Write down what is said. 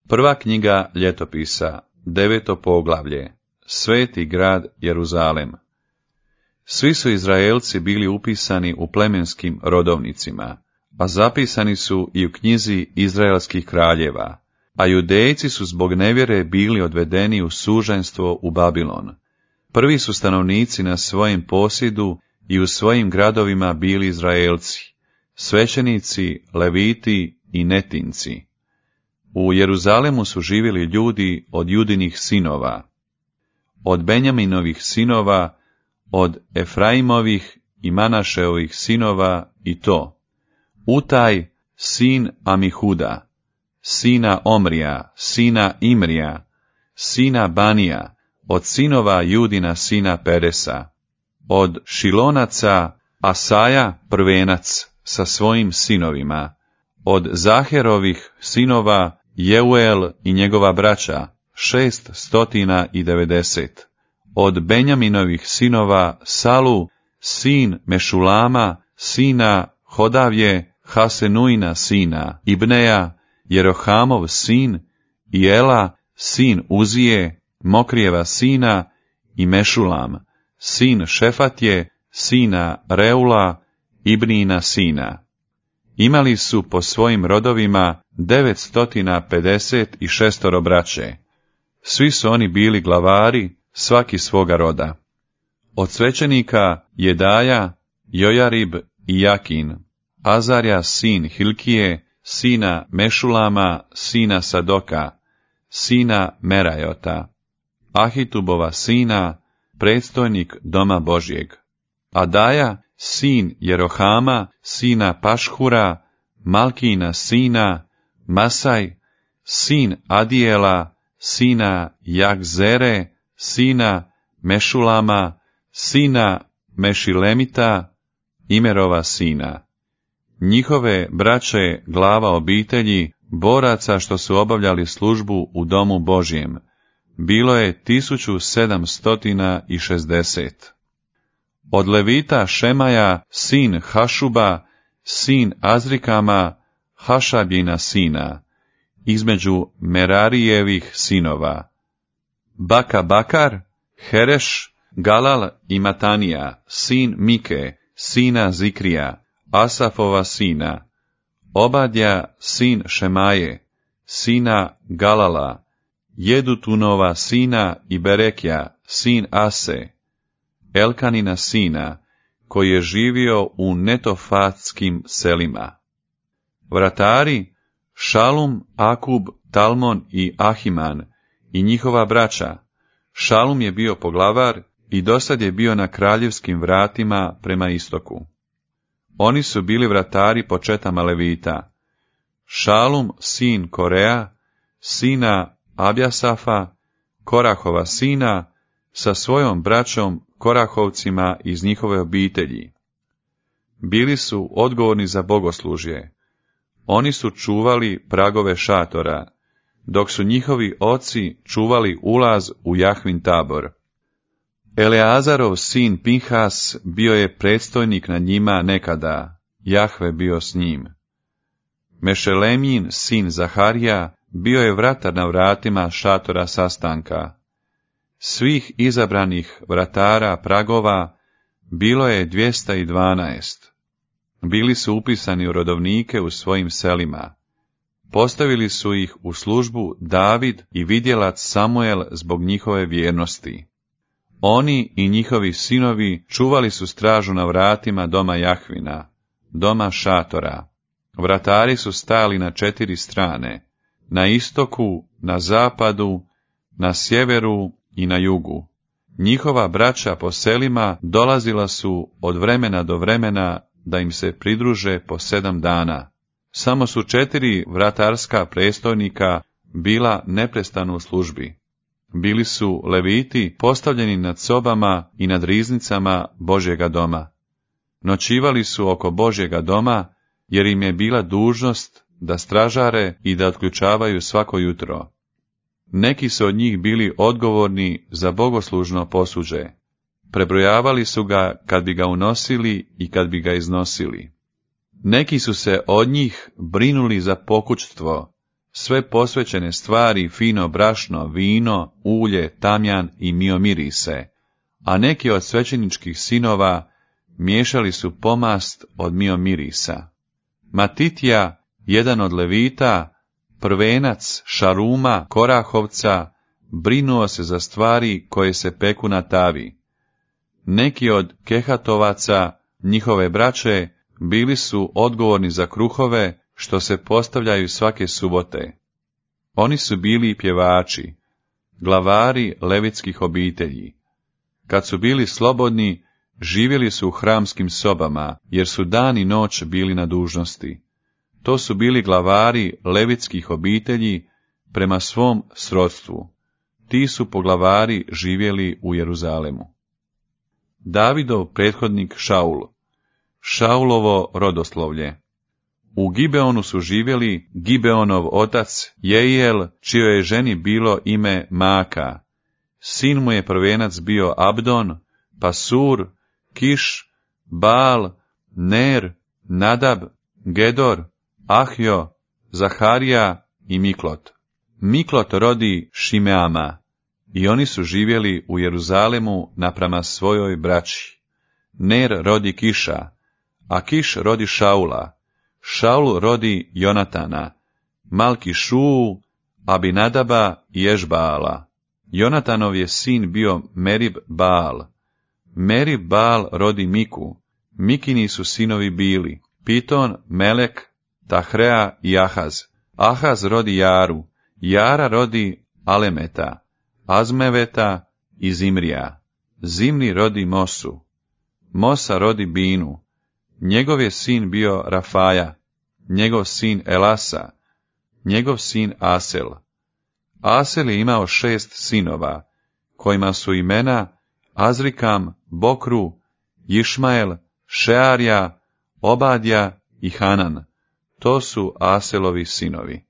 Prva knjiga ljetopisa, 9. poglavlje, Sveti grad Jeruzalem. Svi su Izraelci bili upisani u plemenskim rodovnicima, a zapisani su i u knjizi Izraelskih kraljeva, a Judejci su zbog nevjere bili odvedeni u suženstvo u Babilon. Prvi su stanovnici na svojem posjedu i u svojim gradovima bili Izraelci, svećenici, leviti i netinci. U Jeruzalemu su živjeli ljudi od Judinih sinova, od Benjaminovih sinova, od Efraimovih i Manašeovih sinova i to: Utaj, sin Amihuda, sina Omrija, sina Imrija, sina Banija, od sinova Judina sina Peresa, od Šilonaca Asaja prvenac sa svojim sinovima, od Zaherovih sinova Jeuel i njegova braća 690, od Benjaminovih sinova Salu, sin Mešulama, sina Hodavje, Hasenuina sina Ibneja, Jerohamov sin, i Ela, sin Uzije, Mokrijeva sina, i Mešulam, sin Šefatje, sina Reula, Ibnina sina. Imali su po svojim rodovima 956 braće. Svi su oni bili glavari, svaki svoga roda. Od svećenika Jedaja, Jojarib i Jakin, Azarja sin Hilkije, sina Mešulama, sina Sadoka, sina Merajota, Ahitubova sina, predstojnik doma Božjeg, Adaja, sin Jerohama, sina Pašhura, Malkina sina, Masaj, sin Adijela, sina Jagzere, sina Mešulama, sina Mešilemita, Imerova sina. Njihove braće glava obitelji, boraca što su obavljali službu u domu Božjem, bilo je 1760. Od Levita Šemaja, sin Hašuba, sin Azrikama, Hašabjina sina, između Merarijevih sinova, Baka Bakar, Hereš, Galal i Matanija, sin Mike, sina Zikrija, Asafova sina, Obadja, sin Šemaje, sina Galala, Jedutunova sina i Berekja, sin Ase, Elkanina sina, koji je živio u netofatskim selima. Vratari, Šalum, Akub, Talmon i Ahiman i njihova braća. Šalum je bio poglavar i dosad je bio na kraljevskim vratima prema istoku. Oni su bili vratari po četama Levita. Šalum, sin Korea, sina Abjasafa, Korahova sina, sa svojom braćom Korahovcima iz njihove obitelji. Bili su odgovorni za bogoslužje. Oni su čuvali pragove šatora, dok su njihovi oci čuvali ulaz u Jahvin tabor. Eleazarov sin Pinhas bio je predstojnik nad njima nekada, Jahve bio s njim. Mešelemjin sin Zaharija bio je vratar na vratima šatora sastanka. Svih izabranih vratara pragova bilo je 212. Bili su upisani u rodovnike u svojim selima. Postavili su ih u službu David i vidjelac Samuel zbog njihove vjernosti. Oni i njihovi sinovi čuvali su stražu na vratima doma Jahvina, doma šatora. Vratari su stajali na 4 strane, na istoku, na zapadu, na sjeveru i na jugu. Njihova braća po selima dolazila su od vremena do vremena da im se pridruže po 7 dana. Samo su 4 vratarska predstojnika bila neprestano u službi. Bili su leviti postavljeni nad sobama i nad riznicama Božjega doma. Noćivali su oko Božjega doma, jer im je bila dužnost da stražare i da otključavaju svako jutro. Neki su od njih bili odgovorni za bogoslužno posuđe. Prebrojavali su ga kad bi ga unosili i kad bi ga iznosili. Neki su se od njih brinuli za pokućstvo, sve posvećene stvari, fino brašno, vino, ulje, tamjan i miomirise, a neki od svećeničkih sinova miješali su pomast od miomirisa. Matitija, jedan od levita, prvenac Šaruma, Korahovca, brinuo se za stvari koje se peku na tavi. Neki od Kehatovaca, njihove braće, bili su odgovorni za kruhove što se postavljaju svake subote. Oni su bili pjevači, glavari levitskih obitelji. Kad su bili slobodni, živjeli su u hramskim sobama, jer su dan i noć bili na dužnosti. To su bili glavari levitskih obitelji prema svom srodstvu. Ti su poglavari živjeli u Jeruzalemu. Davidov prethodnik Šaul. Šaulovo rodoslovlje. U Gibeonu su živjeli Gibeonov otac Jeiel, čijoj je ženi bilo ime Maka. Sin mu je prvenac bio Abdon, Pasur, Kiš, Baal, Ner, Nadab, Gedor, Ahjo, Zaharija i Miklot. Miklot rodi Šimeama, i oni su živjeli u Jeruzalemu naprama svojoj braći. Ner rodi Kiša, a Kiš rodi Šaula. Šaul rodi Jonatana, Malki-Šuu, Abinadaba i Ešbaala. Jonatanov je sin bio Merib Baal. Merib Baal rodi Miku. Mikini su sinovi bili Piton, Melek, Tahrea i Ahaz. Ahaz rodi Jaru. Jara rodi Alemeta, Azmeveta i Zimrija. Zimri rodi Mosu. Mosa rodi Binu. Njegov je sin bio Rafaja, njegov sin Elasa, njegov sin Asel. Asel je imao 6 sinova, kojima su imena Azrikam, Bokru, Išmael, Šearja, Obadja i Hanan. To su Aselovi sinovi.